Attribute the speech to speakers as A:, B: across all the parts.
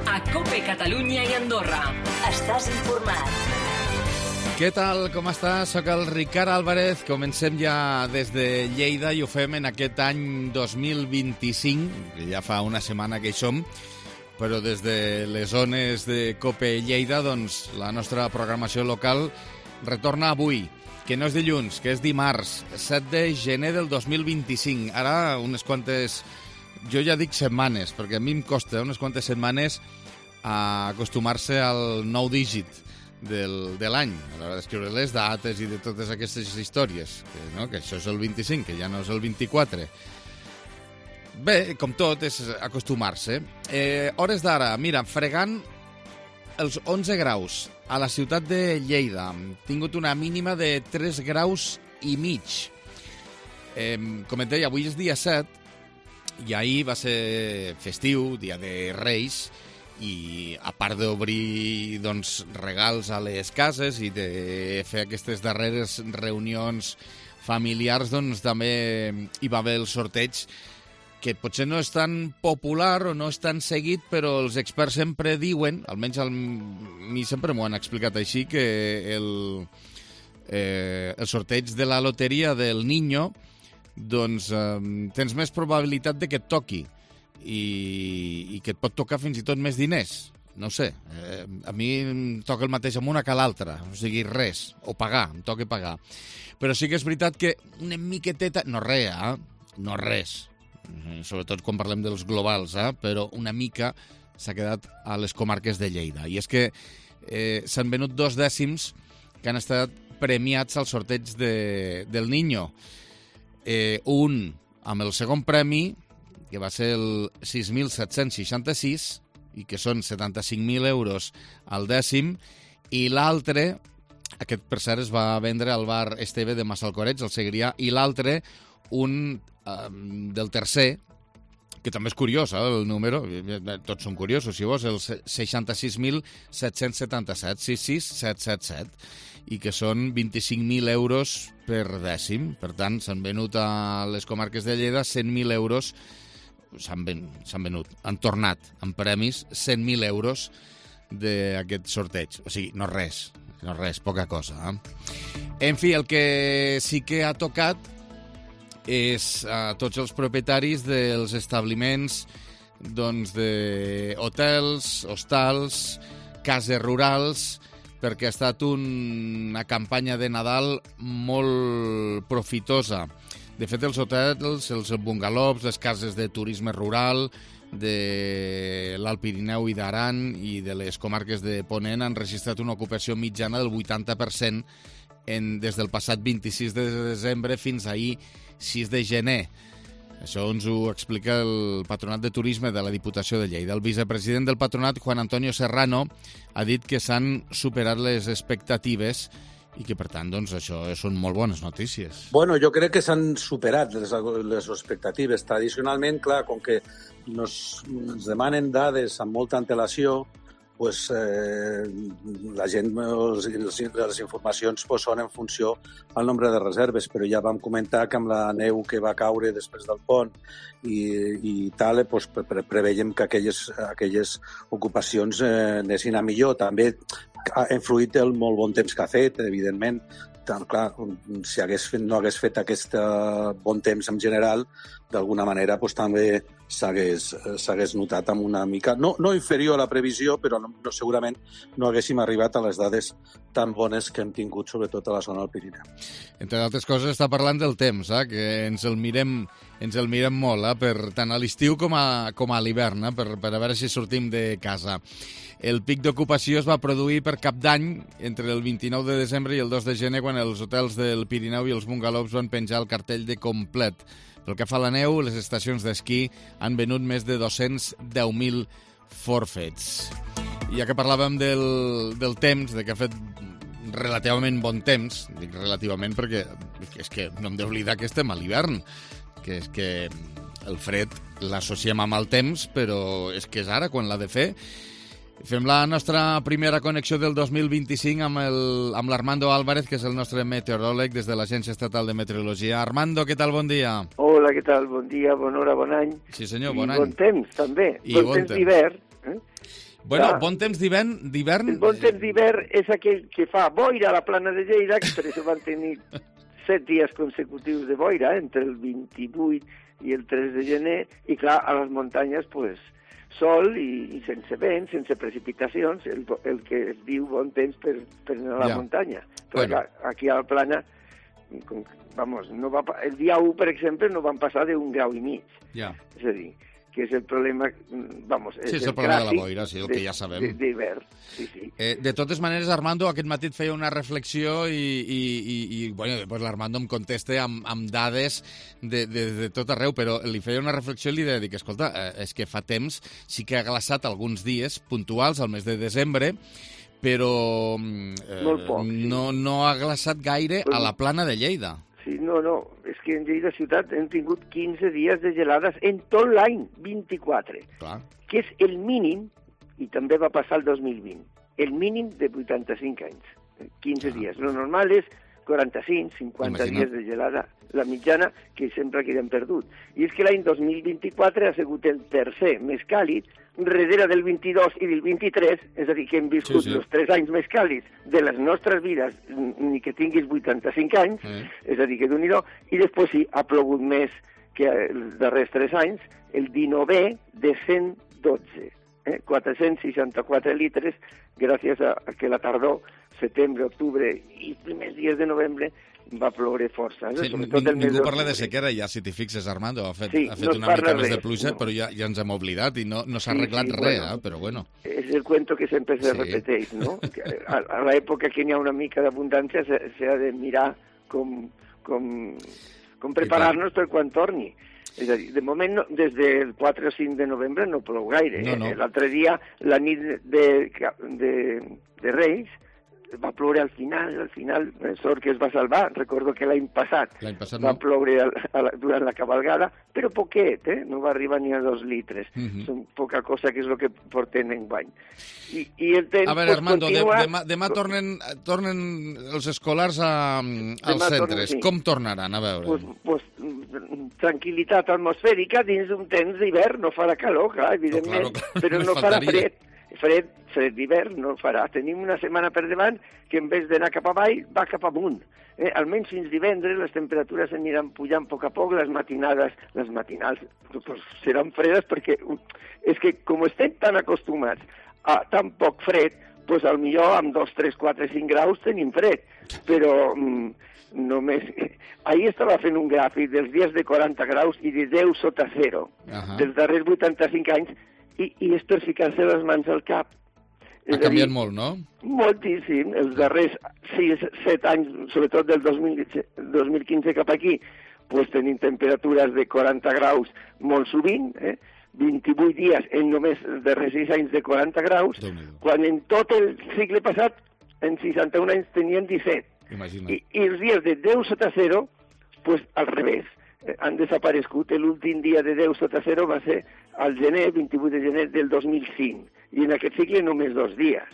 A: a COPE Catalunya i Andorra. Estàs informat.
B: Què tal, com estàs? Soc el Ricard Álvarez. Comencem ja des de Lleida i ho fem en aquest any 2025, que ja fa una setmana que hi som, però des de les zones de COPE Lleida, doncs, la nostra programació local retorna avui, que no és dilluns, que és dimarts, 7 de gener del 2025. Ara, unes quantes, jo ja dic setmanes, perquè a mi em costa unes quantes setmanes a acostumar-se al nou dígit de l'any, a l'hora d'escriure les dates i de totes aquestes històries, que això és el 25, que ja no és el 24. Bé, com tot, és acostumar-se. Hores d'ara, mira, fregant els 11 graus a la ciutat de Lleida. Hem tingut una mínima de 3 graus i mig. Com et deia, avui és dia 7 i ahir va ser festiu, dia de Reis, i a part d'obrir regals a les cases i de fer aquestes darreres reunions familiars, també hi va haver el sorteig, que potser no és tan popular o no és tan seguit, però els experts sempre diuen, almenys a mi sempre m'ho han explicat així, que el sorteig de la loteria del Niño, tens més probabilitat de que et toqui i que et pot tocar fins i tot més diners. No sé, a mi em toca el mateix amb una que l'altra, o sigui, res, o pagar, em toca pagar. Però sí que és veritat que una miqueteta, no res, sobretot quan parlem dels globals, però una mica s'ha quedat a les comarques de Lleida. I és que s'han venut 2 dècims que han estat premiats al sorteig del Niño. Un amb el segon premi, que va ser el 6.766, i que són 75.000 euros al dècim, i l'altre, aquest per cert es va vendre al bar Esteve de Massalcoreig, al Segrià, i l'altre, un del tercer, que també és curiós, el número, tots són curiosos, si vols, el 66.777, 66777, i que són 25.000 euros per dècim. Per tant, s'han venut a les comarques de Lleida 100.000 euros, s'han venut, han tornat en premis 100.000 euros d'aquest sorteig. O sigui, no res, poca cosa. En fi, el que sí que ha tocat és a tots els propietaris dels establiments d'hotels, hostals, cases rurals, perquè ha estat una campanya de Nadal molt profitosa. De fet, els hotels, els bungalows, les cases de turisme rural de l'Alt Pirineu i d'Aran i de les comarques de Ponent han registrat una ocupació mitjana del 80% des del passat 26 de desembre fins ahir 6 de gener. Això ens ho explica el Patronat de Turisme de la Diputació de Lleida. El vicepresident del patronat, Juan Antonio Serrano, ha dit que s'han superat les expectatives i que, per tant, això són molt bones notícies.
C: Bueno, jo crec que s'han superat les expectatives. Tradicionalment, clar, com que ens demanen dades amb molta antelació, pues, la gent, les informacions són en funció al nombre de reserves, però ja vam comentar que amb la neu que va caure després del pont i tal, pues, preveiem que aquelles ocupacions anessin a millor. També ha influït el molt bon temps que ha fet, evidentment. Clar, si no hagués fet aquest bon temps en general, d'alguna manera pues, també s'hagués notat amb una mica, no inferior a la previsió, però segurament no haguéssim arribat a les dades tan bones que hem tingut, sobretot a la zona del Pirineu.
B: Entre d'altres coses, està parlant del temps, que ens el mirem molt, tant a l'estiu com a l'hivern, per a veure si sortim de casa. El pic d'ocupació es va produir per Cap d'Any entre el 29 de desembre i el 2 de gener, quan els hotels del Pirineu i els bungalows van penjar el cartell de complet. Pel que fa a la neu, les estacions d'esquí han venut més de 210.000 forfets. Ja que parlàvem del temps, de que ha fet relativament bon temps, dic relativament perquè és que no hem d'oblidar que estem a l'hivern, que és que el fred l'associem amb el temps, però és que és ara quan l'ha de fer. Fem la nostra primera connexió del 2025 amb l'Armando Álvarez, que és el nostre meteoròleg des de l'Agència Estatal de Meteorologia. Armando, què tal? Bon dia.
D: Hola, què tal? Bon dia, bona hora, bon any.
B: Sí, senyor, bon any.
D: I bon temps, també. Bon temps d'hivern.
B: Bueno, bon temps d'hivern...
D: El bon temps d'hivern és aquell que fa boira a la plana de Lleida, que per això van tenir 7 dies consecutius de boira, entre el 28 i el 3 de gener, i clar, a les muntanyes, pues, sol i sense vent, sense precipitacions, el que es diu bon temps per anar a la muntanya. Però clar, aquí a la plana, vamos, el dia 1, per exemple, no van passar d'1,5 graus.
B: Ja.
D: És a dir, que és el problema, vamos,
B: és el problema de la boira, sí, el que ja sabem.
D: D'hivern, sí.
B: De totes maneres, Armando, aquest matí et feia una reflexió i bueno, després l'Armando em contesta amb dades de tot arreu, però li feia una reflexió i li deia que, escolta, és que fa temps sí que ha glaçat alguns dies puntuals al mes de desembre, però no ha glaçat gaire a la plana de Lleida.
D: Sí, no, és que en Lleida ciutat hem tingut 15 dies de gelades en tot l'any, 24.
B: Clar.
D: Que és el mínim, i també va passar el 2020, el mínim de 85 anys, 15 dies. Lo normal és 45, 50 dies de gelada, la mitjana que sempre queden perdut. I és que l'any 2024 ha sigut el tercer més càlid, darrere del 22 i del 23, és a dir, que hem viscut els 3 anys més càlids de les nostres vides, ni que tinguis 85 anys, és a dir, que d'un-hi-do, i després sí, ha plogut més que els darrers 3 anys, el 19è de 112, 464 litres, gràcies a que la tardor, setembre, octubre i primers dies de novembre, va ploure força.
B: Sí, ningú parla de sequera, ja, si t'hi fixes, Armando. Ha fet una mica més de pluja, però ja ens hem oblidat i no s'ha arreglat res, però bueno.
D: És el cuento que sempre se repeteix, no? A l'època que n'hi ha una mica d'abundància s'ha de mirar com preparar-nos per quan torni. És a dir, de moment, des del 4 o 5 de novembre no plou gaire. L'altre dia, la nit de Reis, va ploure al final, sort que es va salvar. Recordo que l'any passat va ploure durant la cabalgada, però poquet, no va arribar ni a 2 litres. Són poca cosa que és el que portem enguany. I el temps,
B: a veure, Armando, demà tornen els escolars als centres. Com tornaran? A veure.
D: Tranquil·litat atmosfèrica dins d'un temps d'hivern. No farà calor, clar, evidentment, però no farà fred. Fred d'hivern no farà. Tenim una setmana per davant que en vez d'anar cap avall va cap amunt. Almenys fins divendres les temperatures aniran pujant a poc a poc, les matinals seran fredes perquè és que com estem tan acostumats a tan poc fred, doncs potser amb 2, 3, 4, 5 graus tenim fred, però només... Ahir estava fent un gràfic dels dies de 40 graus i de 10 sota 0, dels darrers 85 anys, i és per ficar-se les mans al cap.
B: Ha canviat molt, no?
D: Moltíssim. Els darrers 6-7 anys, sobretot del 2015 cap aquí, doncs tenim temperatures de 40 graus molt sovint, 28 dies en només els darrers 6 anys de 40 graus, quan en tot el cicle passat, en 61 anys, tenien 17. I els dies de 10 sota 0, doncs al revés. Han desaparegut. L'últim dia de 10 sota 0 va ser al gener, 28 de gener del 2005. I en aquest cicle només 2 dies,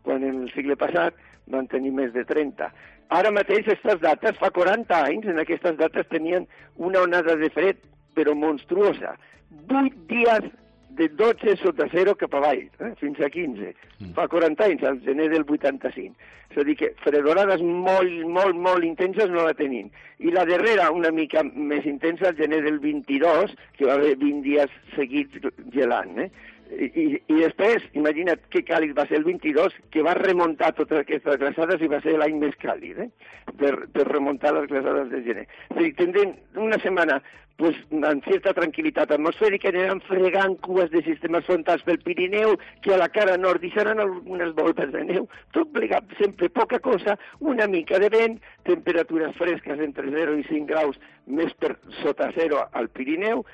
D: quan en el cicle passat van tenir més de 30. Ara mateix, aquestes dates, fa 40 anys, en aquestes dates tenien una onada de fred, però monstruosa. 8 dies de 12 sota 0 cap avall, fins a 15. Fa 40 anys, al gener del 85. És a dir que fredorades molt intenses no la tenim. I la darrera, una mica més intensa, al gener del 22, que va haver 20 dies seguits gelant, I després, imagina't que càlid va ser el 22, que va remuntar totes aquestes glaçades i va ser l'any més càlid, per remuntar les glaçades de gener. És a dir, tindrem una setmana amb certa tranquil·litat atmosfèrica, aniran fregant cues de sistemes frontals pel Pirineu, que a la cara nord deixaran algunes voltes de neu, tot plegat sempre poca cosa, una mica de vent, temperatures fresques entre 0 i 5 graus més per sota 0 al Pirineu,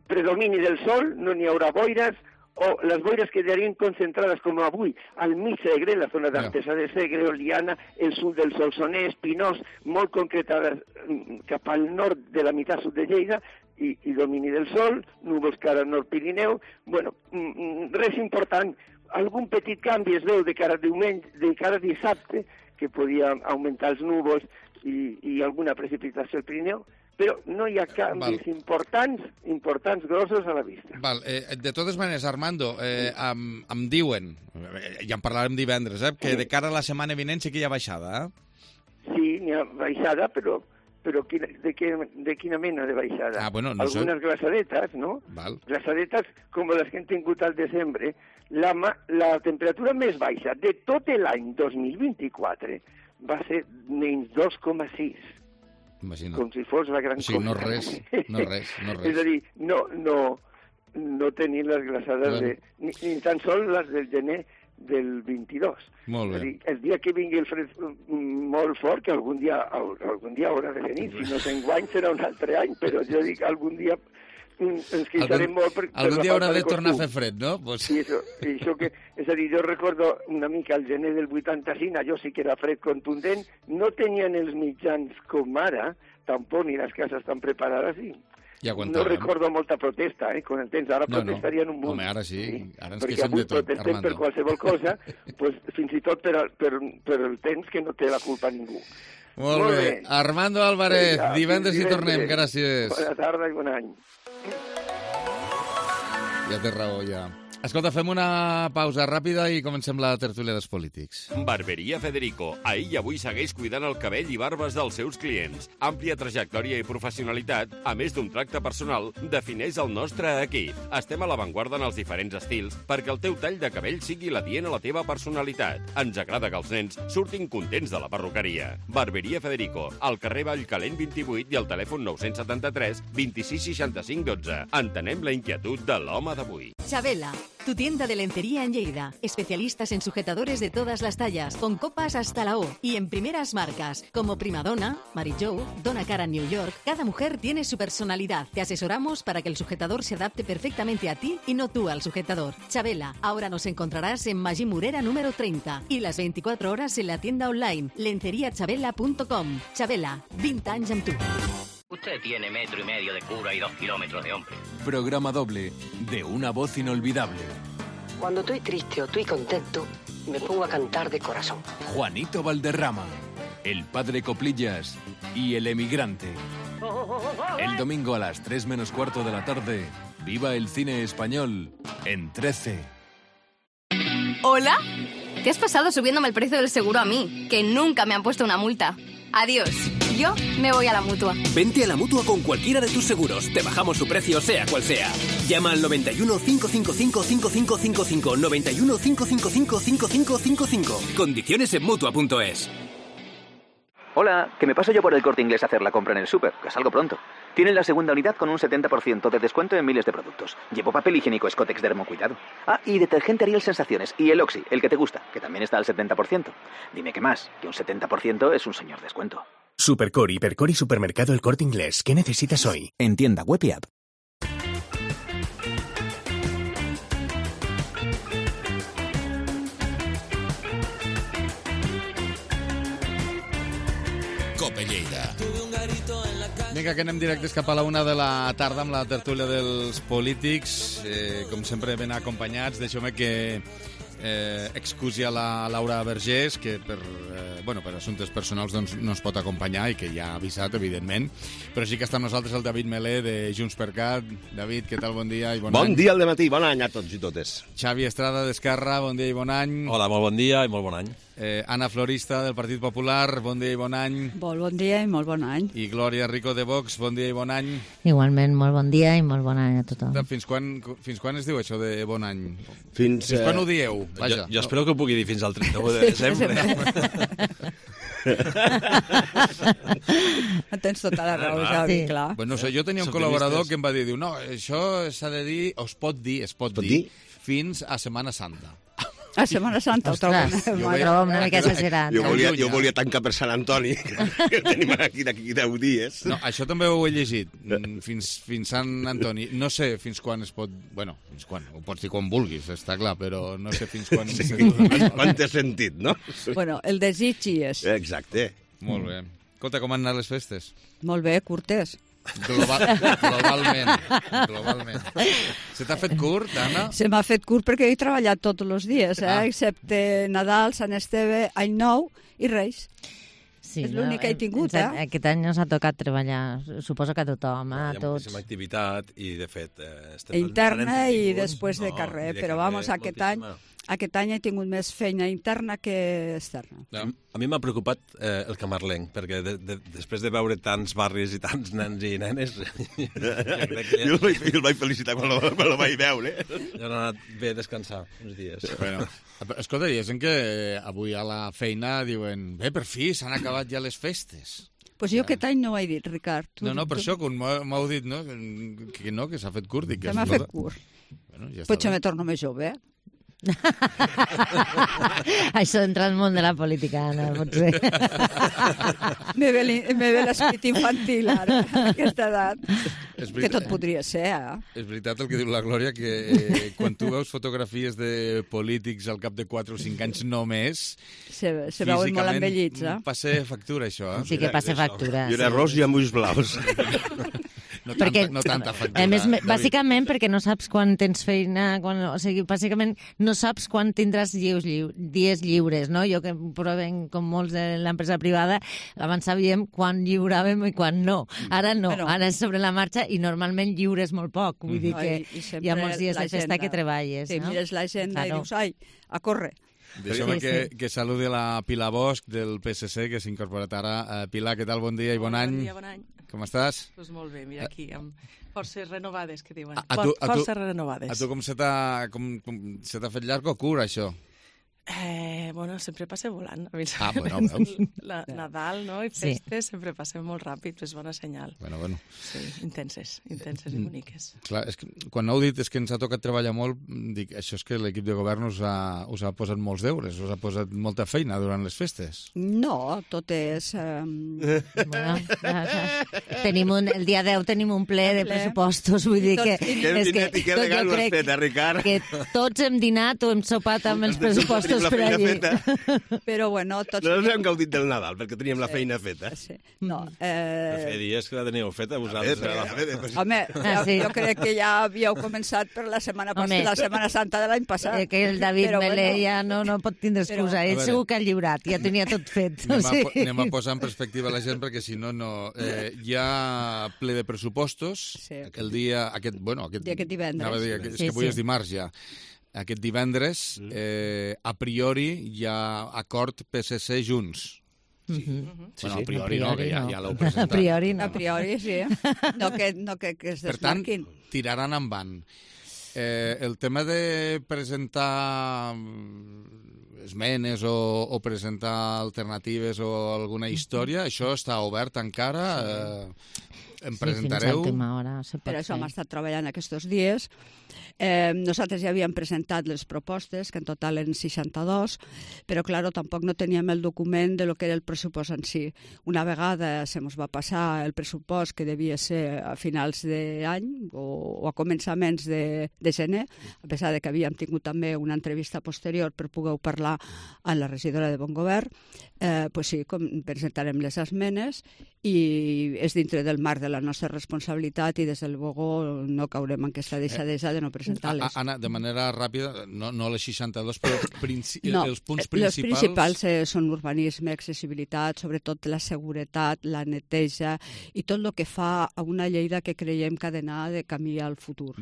D: predomini del sol, no n'hi haurà boires, o les boires quedarien concentrades com avui al mig Segre, la zona d'Artesa de Segre, Oliana, el sud del Solsonès, Pinós, molt concretades cap al nord de la meitat sud de Lleida, i domini del sol, núvols cara al nord Pirineu. Bueno, res important. Algun petit canvi es veu de cara a dissabte, que podia augmentar els núvols i alguna precipitació al Pirineu, però no hi ha canvis importants, grossos a la vista.
B: Val. De totes maneres, Armando, em diuen, ja en parlarem divendres, que de cara a la setmana vinent sí que hi ha baixada,
D: Sí, n'hi ha baixada, però de quina mena de baixada?
B: Bueno, no
D: Algunes glaçadetes, no?
B: Val.
D: Glaçadetes com les que hem tingut al desembre. La temperatura més baixa de tot l'any 2024 va ser menys 2,6.
B: Imagina't.
D: Com si fos la gran cosa.
B: No res.
D: És a dir, no tenir les glaçades ni tan sols les del gener del 22.
B: Molt bé.
D: És a dir, el dia que vingui el fred molt fort, que algun dia haurà de venir, si no s'enguany serà un altre any, però jo dic algun dia ens queixarem molt per
B: algun dia haurà de tornar a
D: costum.
B: fer fred, no? Pues...
D: Sí, això que, és a dir, jo recordo una mica el gener del 85, allò sí que era fred contundent, no tenien els mitjans com ara, tampoc ni les cases tan preparades, i no recordo molta protesta, quan entens, ara protestarien un munt.
B: Home, ara sí, ara ens
D: perquè
B: queixem de tot,
D: protestem
B: Armando.
D: per qualsevol cosa, pues, fins i tot per el temps que no té la culpa ningú.
B: Molt bé. Armando Álvarez, divendres hi tornem, gràcies.
D: Bona tarda i bon any.
B: Ja té raó, ja. Escolta, fem una pausa ràpida i comencem la tertúlia dels polítics.
E: Barberia Federico. Ahir i avui segueix cuidant el cabell i barbes dels seus clients. Àmplia trajectòria i professionalitat, a més d'un tracte personal, defineix el nostre equip. Estem a l'avantguarda en els diferents estils perquè el teu tall de cabell sigui l'adient a la teva personalitat. Ens agrada que els nens surtin contents de la perruqueria. Barberia Federico, al carrer Vallcalent 28 i al telèfon 973 26 65 12. Entenem la inquietud de l'home d'avui.
F: Chabela, tu tienda de lencería en Lleida. Especialistas en sujetadores de todas las tallas, con copas hasta la O y en primeras marcas, como Primadonna, Mary Jo, Donna Cara New York. Cada mujer tiene su personalidad. Te asesoramos para que el sujetador se adapte perfectamente a ti y no tú al sujetador. Chabela, ahora nos encontrarás en Magí Murera número 30 y las 24 horas en la tienda online lenceriachabela.com. Chabela, 20 anys amb tu.
G: Usted tiene 1,5 metros de cura y 2 kilómetros de hombre.
H: Programa doble de una voz inolvidable.
I: Cuando estoy triste o estoy contento, me pongo a cantar de corazón.
H: Juanito Valderrama, el padre Coplillas y el emigrante. El domingo a las 3 menos cuarto de la tarde, viva el cine español en 13.
J: ¿Hola? ¿Qué has pasado subiéndome el precio del seguro a mí? Que nunca me han puesto una multa. Adiós. Yo me voy a la Mutua.
K: Vente a la Mutua con cualquiera de tus seguros. Te bajamos su precio, sea cual sea. Llama al 91 555 5555. 91 555 5555. Condiciones en Mutua.es.
L: Hola, que me paso yo por el Corte Inglés a hacer la compra en el súper, que salgo pronto. Tienen la segunda unidad con un 70% de descuento en miles de productos. Llevo papel higiénico Scottex Dermocuidado. Ah, y detergente Ariel Sensaciones. Y el Oxy, el que te gusta, que también está al 70%. Dime qué más, que un 70% es un señor descuento.
M: Supercore, Hipercore y Supermercado El Corte Inglés. ¿Qué necesitas hoy?
N: En tienda web y app.
B: Cope Lleida. Vinga, que anem directes cap a la 1 de la tarda amb la tertúlia dels polítics. Com sempre ben acompanyats. Deixeu-me que excusi a la Laura Vergés, que per assumptes personals doncs, no ens pot acompanyar i que ja ha avisat, evidentment. Però sí que està amb nosaltres el David Melé de Junts per Cat. David, què tal? Bon dia i bon any.
O: Bon dia al dematí, bon any a tots i totes.
B: Xavi Estrada d'Esquerra, bon dia i bon any.
P: Hola, molt bon dia i molt bon any.
B: Anna Florista, del Partit Popular, bon dia i bon any.
Q: Molt bon dia i molt bon any.
B: I Glòria Rico, de Vox, bon dia i bon any.
R: Igualment, molt bon dia i molt bon any a tothom.
B: Fins quan es diu això de bon any?
O: Fins
B: quan ho dieu? Vaja.
P: Jo espero que ho pugui dir fins al 31 de desembre.
Q: Tens tota la raó, Javi, clar.
B: Bueno, no sé, jo tenia un col·laborador que em va dir, no, això s'ha de dir, es pot dir fins a Setmana Santa.
Q: A Setmana Santa, ho trobo
R: una mica exagerat.
O: Jo volia tancar per Sant Antoni, que tenim aquí d'aquí 10 dies.
B: No, això també ho he llegit, fins Sant Antoni. No sé fins quan es pot... Bueno, fins quan, ho pots dir quan vulguis, està clar, però no sé fins quan...
O: Quan té sentit, no?
Q: Bueno, el desig hi és.
O: Exacte.
B: Molt bé. Escolta, com han anat les festes?
Q: Molt bé, curtes.
B: Globalment. Se t'ha fet curt, Anna?
Q: Se m'ha fet curt perquè he treballat tots els dies, excepte Nadal, Sant Esteve, Any Nou i Reis.
R: Sí,
Q: és l'únic que he tingut,
R: Aquest any ens ha tocat treballar, suposo que a tothom, a tots.
P: Hi ha moltíssima activitat i, de fet...
Q: Interna i després de carrer, però vamos, aquest any he tingut més feina interna que externa.
P: A mi m'ha preocupat el camarlenc, perquè després de veure tants barris i tants nens i nenes...
O: Jo el vaig felicitar quan el vaig veure.
P: Ja han anat bé a descansar uns dies.
B: Bueno, escolta, diguéssim que avui a la feina diuen per fi, s'han acabat ja les festes.
Q: Pues jo aquest any no ho he dit, Ricard.
B: No, per això, quan m'heu dit, no, que s'ha fet curt.
Q: Que m'ha fet curt.
B: Bueno, ja
Q: potser me torno més jove,
R: Això entra al món de la política, Anna, potser.
Q: Me ve l'esprit infantil, ara, a aquesta edat. Que tot podria ser,
B: És veritat el que diu la Glòria, que quan tu veus fotografies de polítics al cap de 4 o 5 anys només...
Q: Se veuen molt envellits,
B: passa factura, això,
R: Sí que passa factura.
O: I era ros i amb ulls blaus.
B: No tanta factura.
R: A més, bàsicament perquè no saps quan tens feina, o sigui, bàsicament no saps quan tindràs dies lliures, no? Jo que provenc com molts de l'empresa privada, abans sabíem quan lliuràvem i quan no. Ara no, ara és sobre la marxa i normalment lliures molt poc. Vull dir que hi ha molts dies de festa que treballes.
Q: Sí, mires l'agenda i dius, ai, a córrer.
B: Deixeu-me que saludi la Pilar Bosch del PSC, que s'ha incorporat ara. Pilar, què tal? Bon dia i bon any.
N: Bon dia, bon any.
B: Com estàs?
N: Doncs molt bé, mira aquí, amb forces renovades, que diuen.
B: Forces
N: renovades.
B: A tu com se t'ha fet llarg o curt, això?
N: Bueno, sempre passem volant.
B: Bueno, veus?
N: Nadal, no? I festes sempre passem molt ràpid, és bona senyal.
B: Bueno.
N: Sí, intenses i boniques.
B: Clar, és que quan heu dit és que ens ha tocat treballar molt, dic, això és que l'equip de govern us ha posat molts deures, us ha posat molta feina durant les festes.
Q: No, tot és...
R: El dia 10 tenim un ple de pressupostos, vull dir que...
O: Que legal ho has fet, Ricard?
R: Que tots hem dinat o hem sopat amb els pressupostos per allí.
Q: Però bueno, tots...
O: Nosaltres hem gaudit del Nadal, perquè teníem la feina feta.
Q: No,
P: Feia dies que la teníeu feta, vosaltres.
Q: Home, jo crec que ja havíeu començat per la Setmana Santa de l'any passat.
R: Que el David Melé ja no pot tindre excusa. Ell segur que ha lliurat, ja tenia tot fet.
B: Anem a posar en perspectiva la gent, perquè si no, hi ha ple de pressupostos el dia... Aquest
Q: divendres.
B: És que avui és dimarts ja. Aquest divendres, a priori, hi ha acord PSC Junts. Bueno, a priori no, que ja l'heu presentat.
Q: A priori, sí. No que es desmarquin.
B: Per tant, tiraran endavant. El tema de presentar esmenes o presentar alternatives o alguna història, això està obert encara? Em presentareu?
Q: Per això hem estat treballant aquests dies. Nosaltres ja havíem presentat les propostes, que en total eren 62, però, claro, tampoc no teníem el document de lo que era el pressupost en si. Una vegada se mos va passar el pressupost, que devia ser a finals d'any o a començaments de gener, a pesar de que havíem tingut també una entrevista posterior per poder parlar amb la regidora de Bon Govern, pues sí, presentarem les esmenes i és dintre del marc de la nostra responsabilitat i des del Bogó no caurem en aquesta deixadesa de no presentar-les.
B: Anna, de manera ràpida, no les 62, però els punts principals...
Q: Els principals són urbanisme, accessibilitat, sobretot la seguretat, la neteja i tot el que fa a una Lleida que creiem que ha d'anar de camí al futur.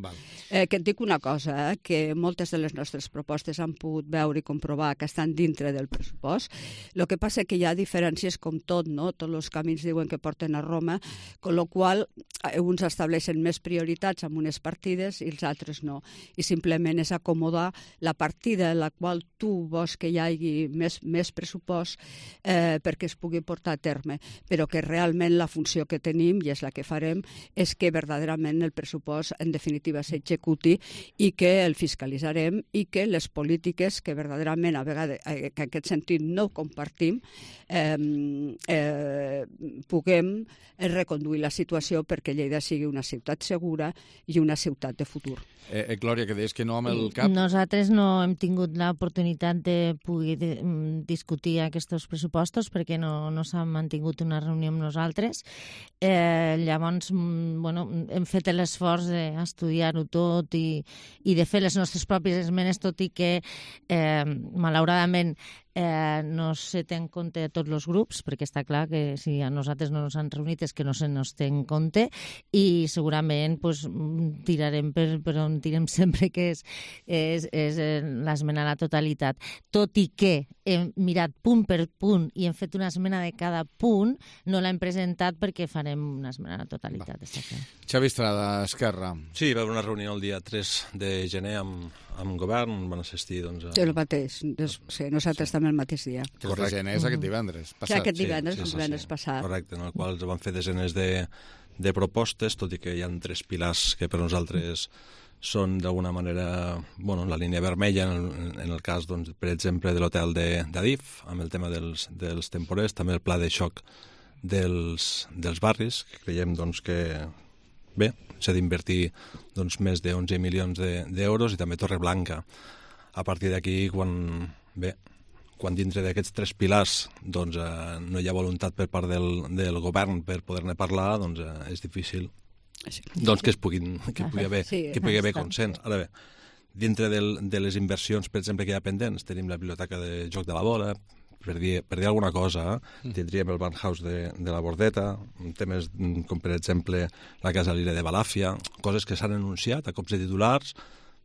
Q: Que et dic una cosa, que moltes de les nostres propostes han pogut veure i comprovar que estan dintre del pressupost. El que passa que hi ha diferències com tot, no? Tots els camins diuen que porten a Roma, con lo qual uns estableixen més prioritats amb unes partides i els altres no. I simplement és acomodar la partida en la qual tu vols que hi hagi més pressupost perquè es pugui portar a terme, però que realment la funció que tenim, i és la que farem, és que verdaderament el pressupost en definitiva s'executi i que el fiscalitzarem i que les polítiques que verdaderament a vegades que en aquest sentit no compartim puguem reconduir la situació perquè Lleida sigui una ciutat segura i una ciutat de futur.
B: Glòria, que deies que no amb el cap...
R: Nosaltres no hem tingut l'oportunitat de poder discutir aquests pressupostos perquè no s'ha mantingut una reunió amb nosaltres. Llavors, hem fet l'esforç d'estudiar-ho tot i de fer les nostres pròpies esmenes, tot i que, malauradament, no se té en compte a tots els grups, perquè està clar que si a nosaltres no ens han reunit és que no se nos té en compte, i segurament tirarem per on tirem sempre, que és l'esmena a la totalitat. Tot i que hem mirat punt per punt i hem fet una esmena de cada punt, no l'hem presentat perquè farem una esmena a la totalitat.
B: Xavi Estrada, Esquerra.
P: Sí, va haver una reunió el dia 3 de gener amb govern, van assistir
Q: El mateix, nosaltres també el mateix dia.
B: Correcte, és aquest divendres passat.
Q: Aquest divendres passat.
P: Correcte, en el qual van fer desenes de propostes, tot i que hi ha 3 pilars que per nosaltres són d'alguna manera la línia vermella en el cas, per exemple, de l'hotel d'Adif, amb el tema dels temporers, també el pla de xoc dels barris, que creiem que bé, s'ha d'invertir més de 11 milions d'euros, i també Torreblanca. A partir d'aquí, quan dintre d'aquests 3 pilars no hi ha voluntat per part del govern per poder-ne parlar, és difícil que pugui haver consens. Ara bé, dintre de les inversions, per exemple, que hi ha pendents, tenim la biblioteca de Joc de la Bola, per dir alguna cosa, tindríem el Barnhouse de la Bordeta, temes com, per exemple, la Casa Lira de Balàfia, coses que s'han anunciat a cops de titulars,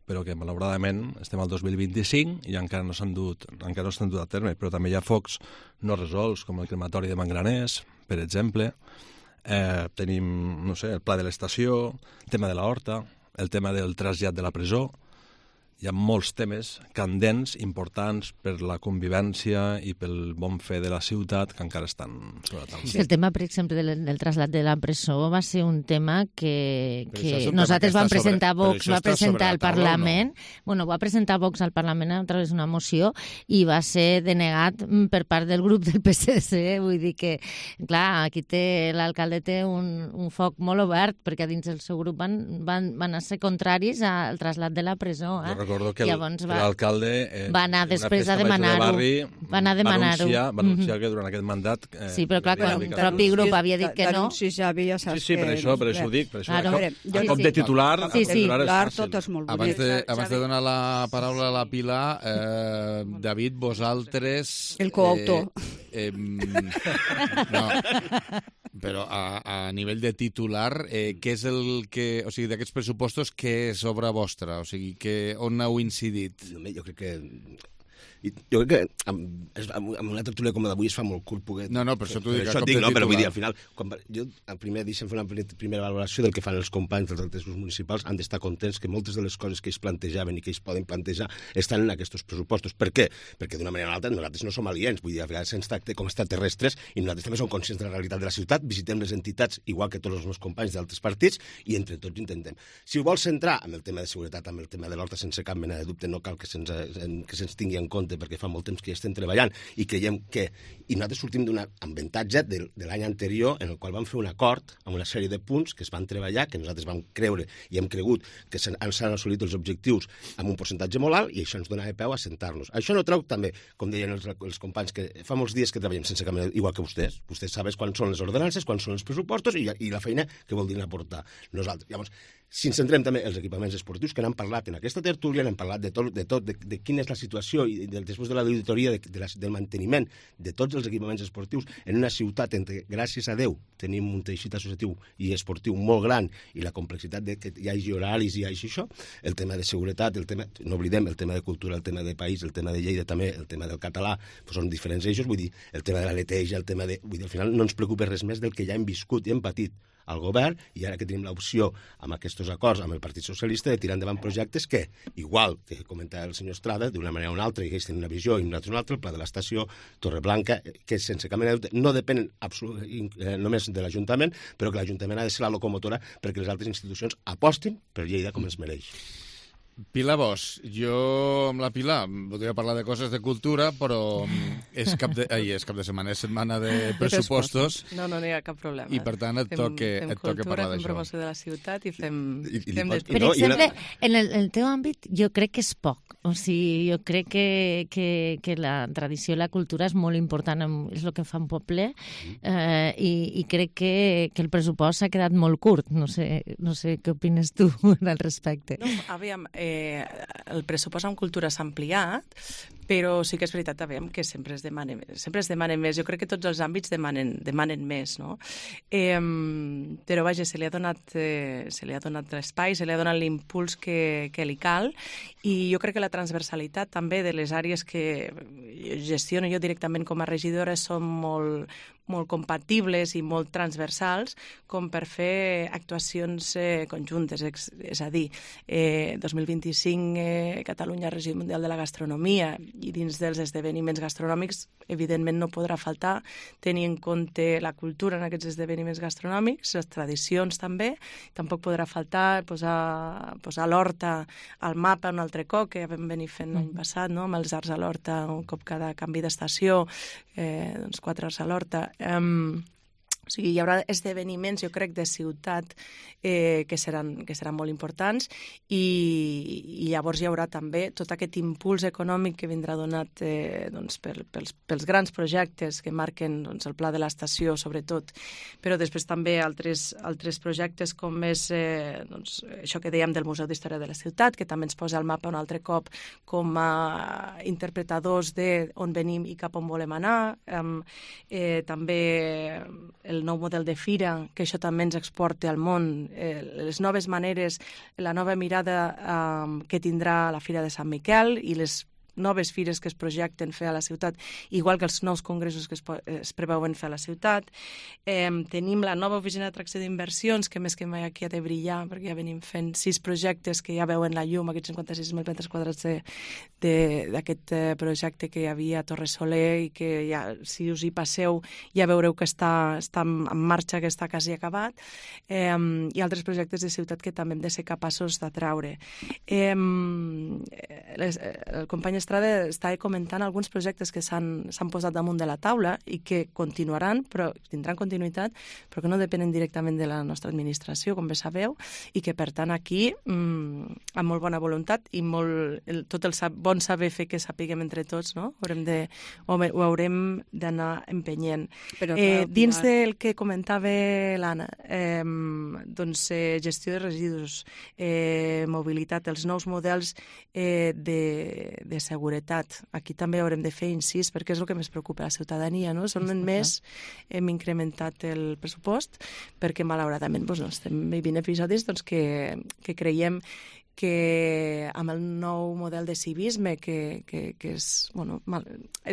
P: però que, malauradament, estem al 2025 i encara no s'han dut a terme. Però també hi ha focs no resolts, com el crematori de Mangraners, per exemple. Tenim, el pla de l'estació, el tema de l'horta, el tema del trasllat de la presó. Hi ha molts temes candents, importants per la convivència i pel bon fer de la ciutat, que encara estan sobre la taula.
R: El tema, per exemple, del trasllat de la presó va ser un tema que nosaltres vam presentar, Vox va presentar al Parlament. Bueno, va presentar Vox al Parlament a través d'una moció i va ser denegat per part del grup del PSC. Vull dir que, clar, aquí l'alcalde té un foc molt obert, perquè dins del seu grup van ser contraris al trasllat de la presó.
P: Recordo que l'alcalde
R: va anar després a demanar-ho.
P: Va anunciar que durant aquest mandat...
R: Sí, però clar, quan el propi grup havia dit que no...
Q: Sí,
P: per això ho dic. A cop de titular...
Q: tot és molt bonic.
B: Abans de donar la paraula a la Pilar, David, vosaltres...
Q: El coautor.
B: No, però a nivell de titular, què és el que... O sigui, d'aquests pressupostos, què és obra vostra? O sigui, on heu incidit?
O: Jo crec que amb una tertúlia com d'avui es fa molt curt poder...
B: No, per això t'ho dic,
O: però vull dir, al final, jo primer deixem fer una primera valoració del que fan els companys dels altres grups municipals, han d'estar contents que moltes de les coses que ells plantejaven i que ells poden plantejar estan en aquests pressupostos. Per què? Perquè d'una manera o altra nosaltres no som aliens, vull dir, a vegades se'ns tracta com extraterrestres i nosaltres també som conscients de la realitat de la ciutat, visitem les entitats igual que tots els meus companys d'altres partits i entre tots intentem. Si ho vols centrar amb el tema de seguretat, amb el tema de l'horta, sense cap mena de dubte, no cal que se'ns tingui en compte perquè fa molt temps que ja estem treballant i creiem que... I nosaltres sortim d'un avantatge de l'any anterior en el qual vam fer un acord amb una sèrie de punts que es van treballar, que nosaltres vam creure i hem cregut que s'han assolit els objectius amb un percentatge molt alt i això ens donava peu a sentar-nos. Això no treu també, com deien els companys, que fa molts dies que treballem sense cap manera, igual que vostès. Vostès saben quan són les ordenances, quan són els pressupostos i la feina que vol dir aportar nosaltres. Llavors, si ens centrem també els equipaments esportius, que n'han parlat en aquesta tertúlia, n'han parlat de tot, de quina és la situació i després de l'auditoria del manteniment de tots els equipaments esportius en una ciutat en què, gràcies a Déu, tenim un teixit associatiu i esportiu molt gran i la complexitat de que hi hagi horaris i hi hagi això, el tema de seguretat, no oblidem, el tema de cultura, el tema de país, el tema de Lleida també, el tema del català, són diferents eixos, vull dir, el tema de la neteja, el tema de... Vull dir, al final no ens preocupa res més del que ja hem viscut i hem patit al govern, i ara que tenim l'opció amb aquests acords amb el Partit Socialista de tirar endavant projectes que, igual que comentava el senyor Estrada, d'una manera o una altra, i ells tenen una visió i nosaltres una altra, el pla de l'estació, Torreblanca, que sense cap mena de dubte no depenen només de l'Ajuntament, però que l'Ajuntament ha de ser la locomotora perquè les altres institucions apostin per Lleida com es mereix.
B: Pilar Bosch, jo amb la Pilar voldria parlar de coses de cultura, però és cap de setmana, és setmana de pressupostos.
N: No hi ha cap problema.
B: I per tant et toca parlar d'això.
N: Fem promoció de la ciutat i fem...
R: Per exemple, en el teu àmbit jo crec que és poc. O sigui, jo crec que la tradició i la cultura és molt important, és el que fa un poble, i crec que el pressupost s'ha quedat molt curt. No sé què opines tu al respecte.
N: No, aviam, el pressupost en cultura s'ha ampliat, Però sí que és veritat també que sempre es demana més. Jo crec que tots els àmbits demanen més, no? Però vaja, se li ha donat l'espai, se li ha donat l'impuls que li cal, i jo crec que la transversalitat també de les àrees que gestiono jo directament com a regidora són molt compatibles i molt transversals com per fer actuacions conjuntes. És a dir, 2025 Catalunya Regió Mundial de la Gastronomia, i dins dels esdeveniments gastronòmics evidentment no podrà faltar tenir en compte la cultura en aquests esdeveniments gastronòmics, les tradicions també. Tampoc podrà faltar posar l'horta al mapa un altre cop, que ja vam venir fent l'any passat, no? Amb els arts a l'horta, un cop cada canvi d'estació, 4 arts a l'horta. O sigui, hi haurà esdeveniments, jo crec, de ciutat que seran molt importants, i llavors hi haurà també tot aquest impuls econòmic que vindrà donat pels grans projectes que marquen el pla de l'estació, sobretot, però després també altres projectes com és això que dèiem del Museu d'Història de la Ciutat, que també ens posa al mapa un altre cop com a interpretadors d'on venim i cap on volem anar. També el nou model de fira, que això també ens exporta al món, les noves maneres, la nova mirada que tindrà la Fira de Sant Miquel i les noves fires que es projecten fer a la ciutat, igual que els nous congressos que es preveuen fer a la ciutat. Tenim la nova oficina d'atracció d'inversions, que més que mai aquí ha de brillar, perquè ja venim fent 6 projectes que ja veuen la llum, aquests 56.000 metres quadrats d'aquest projecte que hi havia a Torre Soler, i que ja, si us hi passeu, ja veureu que està en marxa, que està quasi acabat, i altres projectes de ciutat que també hem de ser capaços d'atraure. El company Estrada està comentant alguns projectes que s'han posat damunt de la taula i que continuaran, però tindran continuïtat, però que no depenen directament de la nostra administració, com bé sabeu, i que, per tant, aquí, amb molt bona voluntat i tot el bon saber fer que sapiguem entre tots, no? Ho haurem d'anar empenyent. Dins del que comentava l'Anna, doncs gestió de residus, mobilitat, els nous models de seguretat. Aquí també haurem de fer incís, perquè és el que més preocupa a la ciutadania, no? Són en més, hem incrementat el pressupost, perquè malauradament estem vivint episodis que creiem que amb el nou model de civisme, que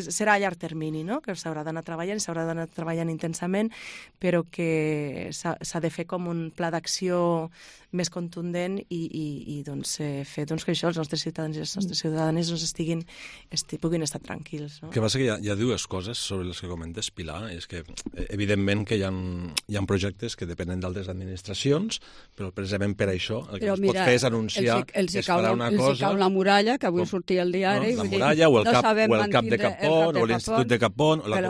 N: serà a llarg termini, no? Que s'haurà d'anar treballant intensament, però que s'ha de fer com un pla d'acció més contundent i fer que això, els nostres ciutadans i les nostres ciutadanes puguin estar tranquils. No?
P: El que passa que hi ha dues coses sobre les que comentes, Pilar, és que evidentment que hi ha projectes que depenen d'altres administracions, però precisament per això el que es pot fer és anunciar que es farà una cosa...
Q: Els cau la muralla, que avui sortia al diari...
P: La muralla, o el cap de Capón, o l'Institut de Capón, o la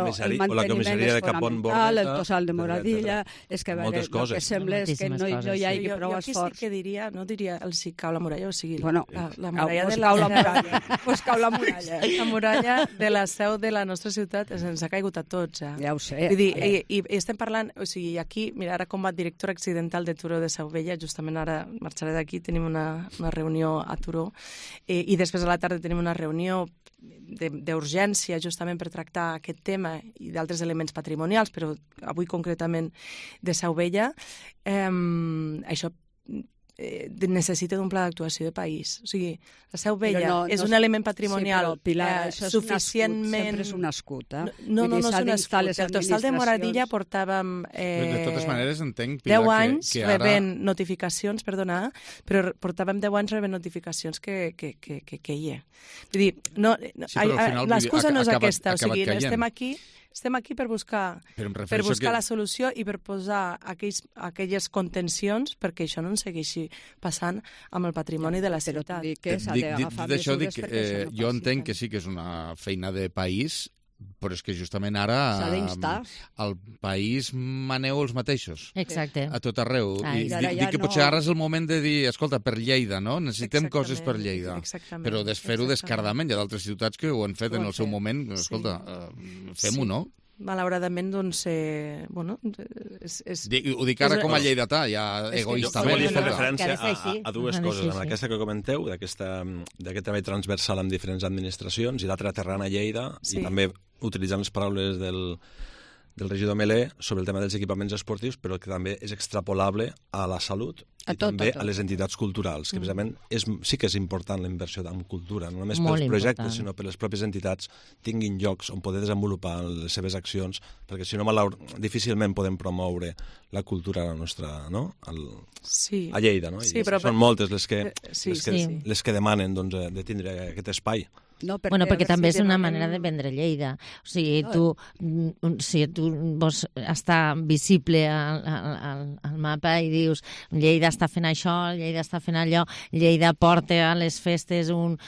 P: comissaria de Capón Borreta...
Q: El tossal de Moradilla... És que el que sembla és que no hi hagi prou esforç.
N: Jo aquí sí que diria, no diria el si cau la muralla, o sigui...
Q: Bueno,
N: la muralla de
Q: pues cau la muralla.
N: La muralla de la seu de la nostra ciutat ens ha caigut a tots, ja.
Q: Ja ho sé.
N: Vull dir, i estem parlant... O sigui, aquí, mira, ara com a directora accidental de Turó de Seu Vella, justament ara marxaré d'aquí, tenim una reunió a Turó, i després a la tarda tenim una reunió d'urgència justament per tractar aquest tema i d'altres elements patrimonials, però avui concretament de Seu Vella. Això necessita d'un pla d'actuació de país. O sigui, la Seu Vella és un element patrimonial suficientment...
Q: Sempre és un escut, eh?
N: No és un escut. El tossal de Moradilla portàvem...
B: De totes maneres, entenc, Pilar,
N: 10 anys
B: que ara...
N: rebent notificacions, perdona, però portàvem 10 anys rebent notificacions que hi ha. Vull dir, l'excusa no és aquesta. O sigui, estem aquí per buscar la solució i per posar aquelles contencions perquè això no ens segueixi passant amb el patrimoni de la ciutat.
B: Dit això, jo entenc que sí que és una feina de país, però és que justament ara al país maneu els mateixos.
R: Exacte.
B: A tot arreu. I dic que potser ara és el moment de dir, escolta, per Lleida, no? Necessitem coses per Lleida. Però fer-ho descaradament. Hi ha d'altres ciutats que ho han fet en el seu moment. Escolta, fem-ho, no?
N: malauradament, doncs,
B: Ho dic ara com a lleidatà, ja egoistament.
P: Jo volia fer referència a dues coses. En aquesta que comenteu, d'aquest treball transversal amb diferents administracions, i l'altra aterrant a Lleida, i també utilitzant les paraules del regidor Melé sobre el tema dels equipaments esportius, però que també és extrapolable a la salut i també a les entitats culturals, que precisament sí que és important la inversió en cultura, no només pels projectes, sinó per les pròpies entitats tinguin llocs on poder desenvolupar les seves accions, perquè si no, difícilment podem promoure la cultura a la nostra, no? A Lleida, no? I són moltes les que demanen de tindre aquest espai.
R: Perquè també és una manera de vendre Lleida. O sigui, tu vols estar visible al mapa i dius Lleida està fent això, Lleida està fent allò, Lleida porta a les festes jo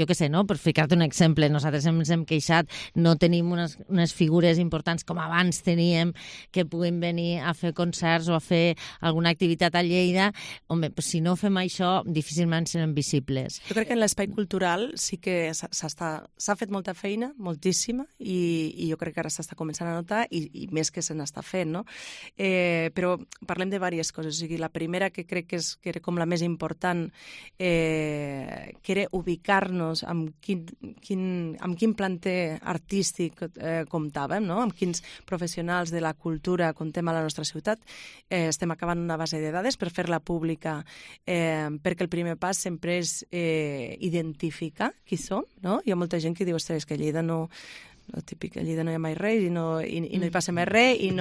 R: què sé, no? Per ficar-te un exemple, nosaltres ens hem queixat, no tenim unes figures importants com abans teníem que puguin venir a fer concerts o a fer alguna activitat a Lleida. Home, si no fem això, difícilment serem visibles.
N: Jo crec que en l'espai cultural sí que s'ha fet molta feina, moltíssima, i jo crec que ara s'està començant a notar i més que se n'està fent, no? Però parlem de diverses coses. O sigui, la primera que crec que era com la més important, que era ubicar-nos amb quin planter artístic comptàvem, no? Amb quins professionals de la cultura comptem a la nostra ciutat. Estem acabant una base de dades per fer-la pública, perquè el primer pas sempre és identificar qui som, no? Hi ha molta gent que diu, ostres, que a Lleida no... El típic, a Lleida no hi ha mai res i no hi passa més res i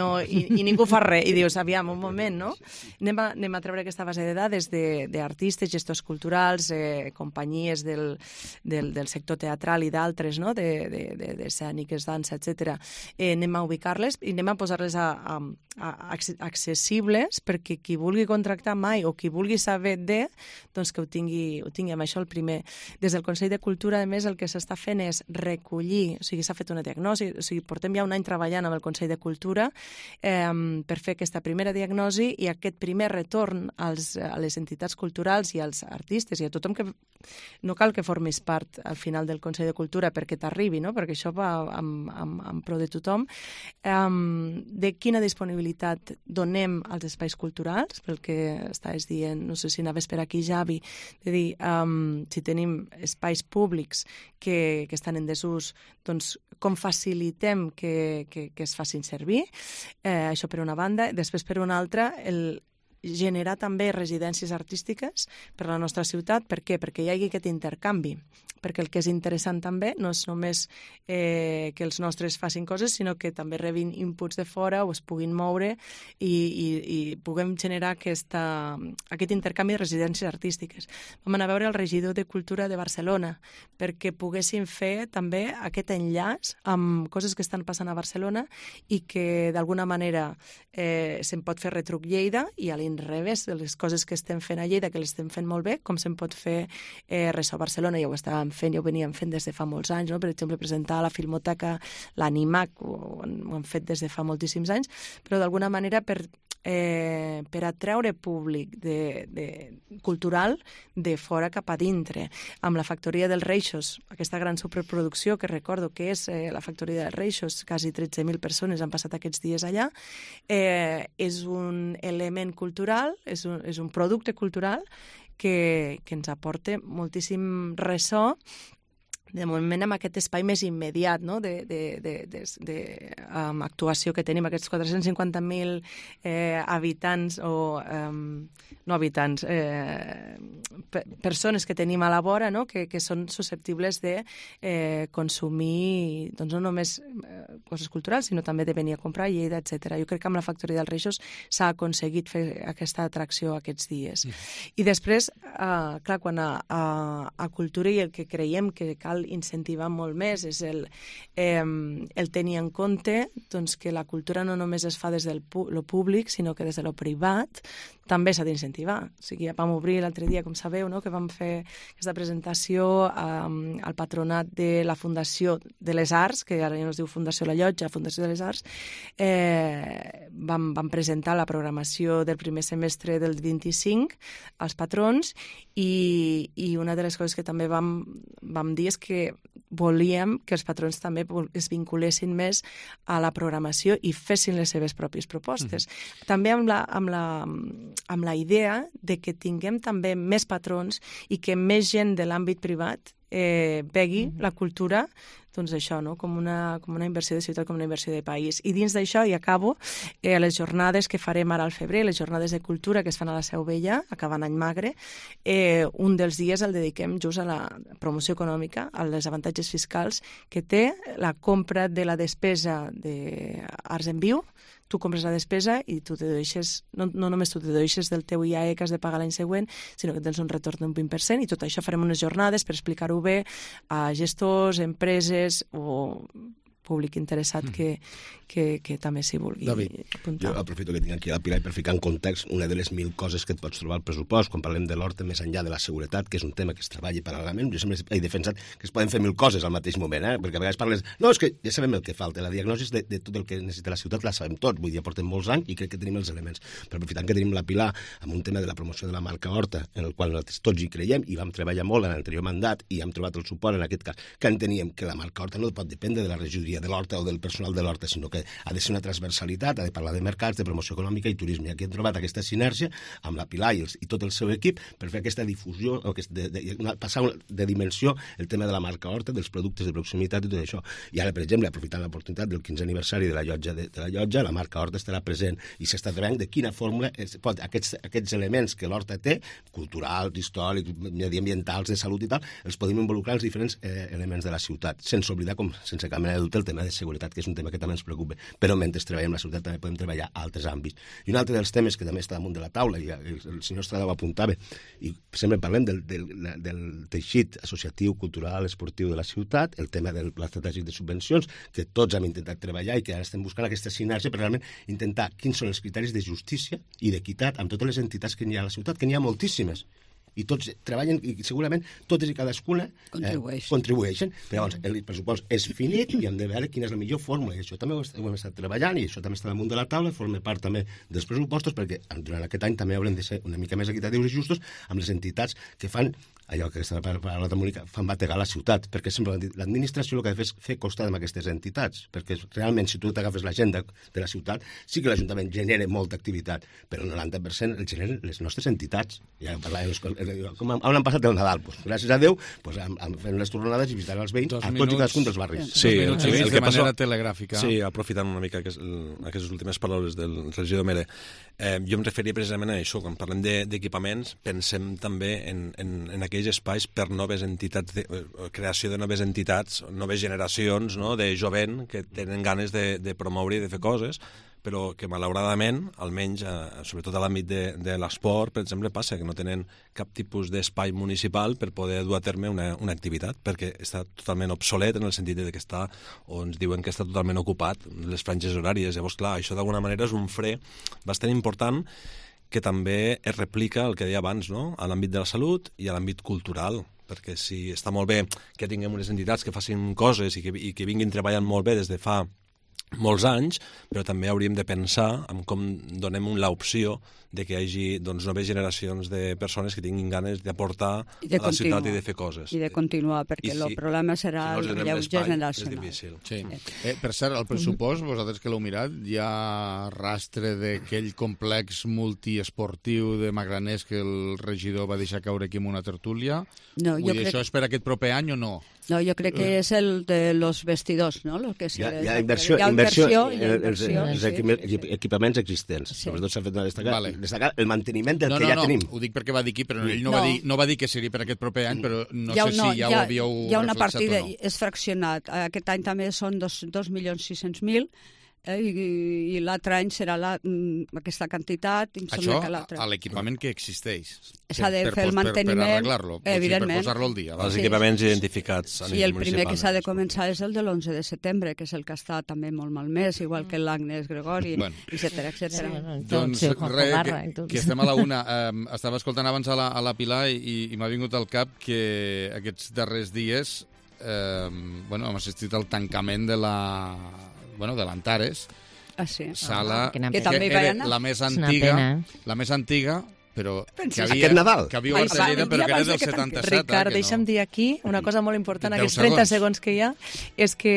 N: ningú fa res. I dius, aviam, un moment, no? Anem a treure aquesta base de dades d'artistes, gestors culturals, companyies del sector teatral i d'altres, no? D'escèniques, dansa, etc. Anem a ubicar-les i anem a posar-les accessibles perquè qui vulgui contractar mai o qui vulgui saber doncs que ho tingui amb això el primer. Des del Consell de Cultura, a més, el que s'està fent és recollir, o sigui, s'ha fet una diagnosi, o sigui, portem ja un any treballant amb el Consell de Cultura per fer aquesta primera diagnosi i aquest primer retorn a les entitats culturals i als artistes i a tothom que no cal que formis part al final del Consell de Cultura perquè t'arribi, no? Perquè això va amb pro de tothom, de quina disponibilitat donem als espais culturals, pel que estaves dient, no sé si anaves per aquí, Javi, de dir, si tenim espais públics que estan en desús, doncs com facilitem que es facin servir, això per una banda. Després, per una altra, generar també residències artístiques per a la nostra ciutat. Per què? Perquè hi hagi aquest intercanvi. Perquè el que és interessant també no és només que els nostres facin coses, sinó que també rebin inputs de fora o es puguin moure i puguem generar aquest intercanvi de residències artístiques. Vam anar a veure el regidor de Cultura de Barcelona perquè poguessin fer també aquest enllaç amb coses que estan passant a Barcelona i que d'alguna manera se'n pot fer retruc Lleida i a l'inrevés de les coses que estem fent a Lleida, que les estem fent molt bé, com se'n pot fer res a Barcelona. Ja ho estàvem fent, ja ho veníem fent des de fa molts anys, no? Per exemple, presentar a la Filmoteca l'Animac, ho han fet des de fa moltíssims anys, però d'alguna manera per atraure públic cultural de fora cap a dintre. Amb la Factoria dels Reixos, aquesta gran superproducció que recordo que és la Factoria dels Reixos, quasi 13.000 persones han passat aquests dies allà, és un element cultural, és un producte cultural que ens aporta moltíssim ressò de moment amb aquest espai més immediat, no? D'actuació que tenim, aquests 450.000 habitants o no habitants, persones que tenim a la vora, no? Que són susceptibles de consumir doncs no només coses culturals, sinó també de venir a comprar a Lleida, etc. Jo crec que amb la Factoria dels Reixos s'ha aconseguit fer aquesta atracció aquests dies. I després, clar, quan a cultura i el que creiem que cal incentivar molt més és el tenir en compte doncs, que la cultura no només es fa des del lo públic, sinó que des de lo privat també s'ha d'incentivar. O sigui, ja vam obrir l'altre dia, com sabeu, no? Que vam fer aquesta presentació al patronat de la Fundació de les Arts, que ara ja no es diu Fundació La Llotja, Fundació de les Arts. Vam presentar la programació del primer semestre del 25 als patrons i una de les coses que també vam dir és que volíem que els patrons també es vinculessin més a la programació i fessin les seves pròpies propostes. També amb la idea de que tinguem també més patrons i que més gent de l'àmbit privat vegi la cultura, doncs això, no? com una inversió de ciutat, com una inversió de país. I dins d'això, i acabo, les jornades que farem ara al febrer, les jornades de cultura que es fan a la Seu Vella, acabant any magre, un dels dies el dediquem just a la promoció econòmica, als avantatges fiscals que té la compra de la despesa d'Arts en Viu. Tu compres la despesa i tu te dedueixes, no només tu te dedueixes del teu IAE que has de pagar l'any següent, sinó que tens un retorn d'un 20%, i tot això farem unes jornades per explicar-ho bé a gestors, empreses o públic interessat que també s'hi vulgui apuntar.
O: Jo aprofito que tinc aquí la Pilar per ficar en context una de les 1000 coses que et pots trobar al pressupost quan parlem de l'horta més enllà de la seguretat, que és un tema que es treballa paral·lelament. Jo sempre he defensat que es poden fer 1000 coses al mateix moment, perquè a vegades parles... No, és que ja sabem el que falta, la diagnosi de tot el que necessita la ciutat la sabem tots, vull dir, ja portem molts anys i crec que tenim els elements. Però aprofitant que tenim la Pilar amb un tema de la promoció de la marca Horta, en el qual nosaltres tots hi creiem i vam treballar molt en l'anterior mandat i hem trobat el suport en aquest cas, que enteníem que la marca Horta no pot dependre de la regidoria de l'Horta o del personal de l'Horta, sinó que ha de ser una transversalitat, ha de parlar de mercats, de promoció econòmica i turisme. I aquí hem trobat aquesta sinergia amb la Pilar i tot el seu equip per fer aquesta difusió, passar de dimensió el tema de la marca Horta, dels productes de proximitat i tot això. I ara, per exemple, aprofitant l'oportunitat del 15è aniversari de la llotja, la marca Horta estarà present i s'està treballant de quina fórmula aquests elements que l'Horta té, culturals, històrics, mediambientals, de salut i tal, els podem involucrar en els diferents elements de la ciutat, sense oblidar, sense cap mena de dubte, el tema de seguretat, que és un tema que també ens preocupa. Però mentre treballem la ciutat també podem treballar a altres àmbits. I un altre dels temes que també està damunt de la taula, i el senyor Estrada ho apuntava, i sempre parlem del teixit associatiu, cultural, esportiu de la ciutat, el tema de l'estratègic de subvencions, que tots hem intentat treballar i que ara estem buscant aquesta sinergia per realment intentar quins són els criteris de justícia i d'equitat amb totes les entitats que hi ha a la ciutat, que n'hi ha moltíssimes. I tots treballen, i segurament totes i cadascuna contribueixen. Però llavors el pressupost és finit i hem de veure quina és la millor fórmula. I això també ho hem estat treballant i això també està damunt de la taula, forma part també dels pressupostos, perquè durant aquest any també haurem de ser una mica més equitatius i justos amb les entitats que fan allò que està parlant la Mònica, fan bategar la ciutat, perquè sempre l'administració el que ha de fer és fer costat amb aquestes entitats, perquè realment si tu t'agafes l'agenda de la ciutat, sí que l'Ajuntament genera molta activitat, però el 90% el generen les nostres entitats. Ja com on han passat el Nadal? Pues, gràcies a Déu, pues, fent les tornades i visitant els veïns a tots i cadascun dels barris.
B: Sí, el que manera telegràfica.
P: Sí, aprofitant una mica aquestes últimes paraules del regidor Mere, jo em referia precisament a això, quan parlem d'equipaments, pensem també en aquells espais per noves entitats, creació de noves entitats, noves generacions, no?, de jovent que tenen ganes de promoure i de fer coses, però que malauradament, almenys, sobretot a l'àmbit de l'esport, per exemple, passa que no tenen cap tipus d'espai municipal per poder dur a terme una activitat, perquè està totalment obsolet en el sentit que està, o ens diuen que està totalment ocupat, les franges horàries. Llavors, clar, això d'alguna manera és un fre bastant important que també es replica el que deia abans, no?, a l'àmbit de la salut i a l'àmbit cultural, perquè si està molt bé que tinguem unes entitats que facin coses i que vinguin treballant molt bé des de fa molts anys, però també hauríem de pensar en com donem l'opció de que hi hagi noves generacions de persones que tinguin ganes d'aportar a la ciutat i de fer coses.
Q: I de continuar, perquè el problema serà el relleu generacional.
P: És difícil.
B: Sí. Per cert, el pressupost, vosaltres que l'heu mirat, hi ha rastre d'aquell complex multiesportiu de Magraners que el regidor va deixar caure aquí en una tertúlia?
Q: No,
B: jo crec... Això és per aquest proper any o no?
Q: No, jo crec que és el de los vestidors, no?
O: Hi ha inversió els equipaments existents. Sobretot s'ha fet destacar el manteniment del que ja tenim.
B: Ho dic perquè va dir aquí, però ell no va dir que seria per aquest proper any, però no sé si ja ho havíeu reflexat o no.
Q: Hi ha una partida, és fraccionat. Aquest any també són 2.600.000, i l'altre any serà aquesta quantitat.
B: Això a l'equipament que existeix.
Q: S'ha de fer el manteniment,
B: per arreglar-lo,
Q: evidentment.
B: Per posar-lo al dia.
P: Els equipaments identificats a nivell municipal.
Q: Sí, el primer que s'ha de començar és el de l'11 de setembre, que és el que està també molt malmès, igual que l'Agnès Gregori, etcètera.
B: Doncs res, que estem a la una. Estava escoltant abans a la Pilar i m'ha vingut al cap que aquests darrers dies hem assistit al tancament de l'Antares, sala
Q: que també hi va anar.
B: la més antiga però
O: aquest Nadal.
B: Que viu a Lleida, però que era del 77.
N: Ricard, deixa'm dir aquí una cosa molt important, aquests 30 segons que hi ha, és que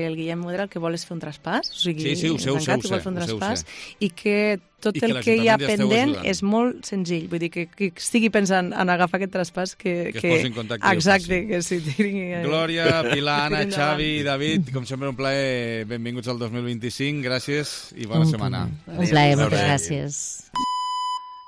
N: el Guillem Modera el que vol és fer un traspàs, o sigui,
B: sí, ho sé,
N: vol fer un traspàs, i que tot el que hi ha pendent és molt senzill. Vull dir, que qui estigui pensant en agafar aquest traspàs, que
B: es posi en contacte.
N: Exacte, que s'hi tiri...
B: Glòria, Pilar, Anna, Xavi, David, com sempre un plaer, benvinguts al 2025, gràcies i bona setmana.
R: Un plaer, moltes gràcies.